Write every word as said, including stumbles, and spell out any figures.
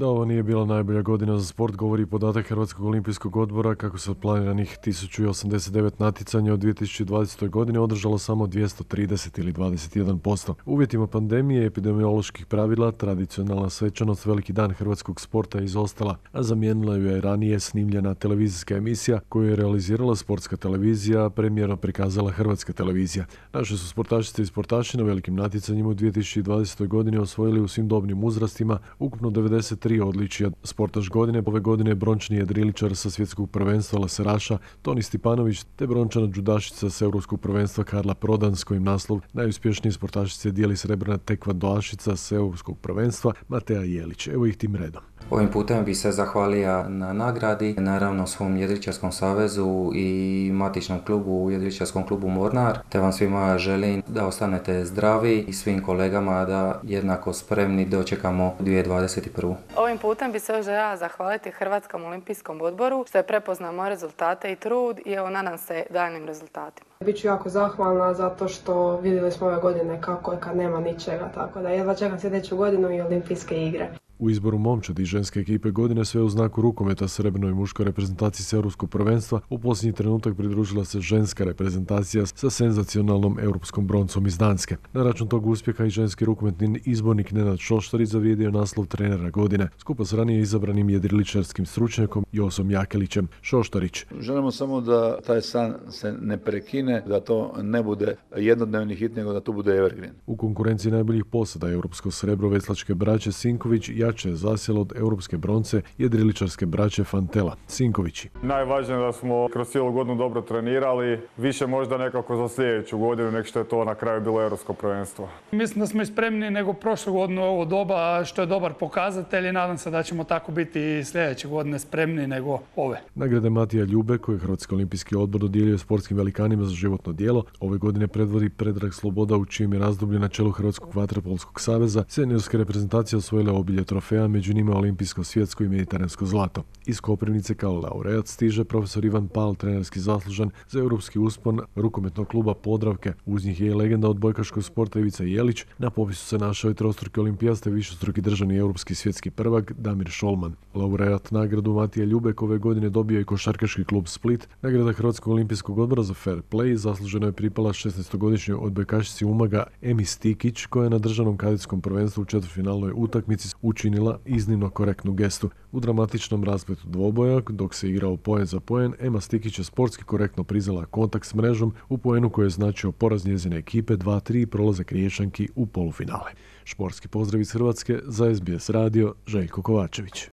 Da ovo nije bila najbolja godina za sport govori podatak Hrvatskog olimpijskog odbora kako se od planiranih tisuću osamdeset devet natjecanja od dvije tisuće dvadesete. godine održalo samo dvjesto trideset ili dvadeset jedan posto. U uvjetima pandemije i epidemioloških pravila tradicionalna svečanost Veliki dan hrvatskog sporta je izostala, a zamijenila ju je ranije snimljena televizijska emisija koju je realizirala Sportska televizija, a premijerno prikazala Hrvatska televizija. Naše su sportašice i sportaši na velikim natjecanjima u dvije tisuće dvadesetoj. godini osvojili u svim dobnim uzrastima ukupno devedeset tri odličija. Sportaš godine ove godine je brončani jedriličar sa svjetskog prvenstva laseraša Toni Stipanović te brončana džudašica sa europskog prvenstva Karla Prodan s kojim naslov najuspješnije sportašice dijeli srebrna tekvandoašica sa europskog prvenstva Matea Jelić. Evo ih tim redom. Ovim putem bi se zahvalio na nagradi, naravno svom jedriličarskom savezu i matičnom klubu, jedriličarskom klubu Mornar, te vam svima želim da ostanete zdravi i svim kolegama da jednako spremni dočekamo dvije tisuće dvadeset prvu. Ovim putem bi se još željela zahvaliti Hrvatskom olimpijskom odboru što je prepoznao moje rezultate i trud i evo nadam se daljnim rezultatima. Biću jako zahvalna zato što vidjeli smo ove godine kako je kad nema ničega, tako da jedva čekam sljedeću godinu i olimpijske igre. U izboru momčadi i ženske ekipe godine sve u znaku rukometa srebrnoj i muškoj reprezentaciji s europskog prvenstva u posljednji trenutak pridružila se ženska reprezentacija sa senzacionalnom europskom broncom iz Danske. Na račun tog uspjeha i ženski rukometni izbornik Nenad Šoštarić zavrijedio naslov trenera godine, skupa s ranije izabranim jedriličarskim stručnjakom Josom Jakelićem. Šoštarić: želimo samo da taj san se ne prekine, da to ne bude jednodnevni hit, nego da to bude evergreen. U konkurenciji najboljih posada europsko srebro veslačke braće Sinković jače je zasjelo od europske bronce jedriličarske braće Fantela. Sinkovići: najvažnije je da smo kroz cijelu godinu dobro trenirali, više možda nekako za sljedeću godinu nek što je to na kraju bilo europsko prvenstvo. Mislim da smo i spremni nego prošle godine u ovo doba, što je dobar pokazatelj i nadam se da ćemo tako biti i sljedeće godine spremni nego ove. Nagrade Matija Ljube koje je Hrvatski olimpijski odbor dodijelio sportskim velikanima za životno djelo ove godine predvodi Predrag Sloboda u čijem je razdoblju na čelu Hrvatskog vaterpolskog saveza. Seniorske reprezentacije osvojile obilje trofeja, među njima olimpijsko, svjetsko i mediteransko zlato. Iz Koprivnice kao laureat stiže profesor Ivan Pal, trenerski zaslužan za europski uspon rukometnog kluba Podravke. Uz njih je i legenda odbojkaškog sporta Ivica Jelić. Na popisu se našao i trostruki olimpijast i višestruki državni europski svjetski prvak Damir Šolman. Laureat nagradu Matija Ljubek ove godine dobio i košarkaški klub Split. Nagrada Hrvatskog olimpijskog odbora za fair play zasluženo je pripala šesnaestogodišnjoj odbojkašici Umaga Emi Stikić koja je na državnom kadetskom prvenstvu u četvrtfinalnoj utakmici učinila iznimno korektnu gestu. U dramatičnom raspletu dvoboja, dok se igrao poen za poen, Ema Stikić je sportski korektno priznala kontakt s mrežom u poenu koji je značio poraz njezine ekipe dva tri i prolazak Riječanki u polufinale. Športski pozdrav iz Hrvatske za S B S radio, Željko Kovačević.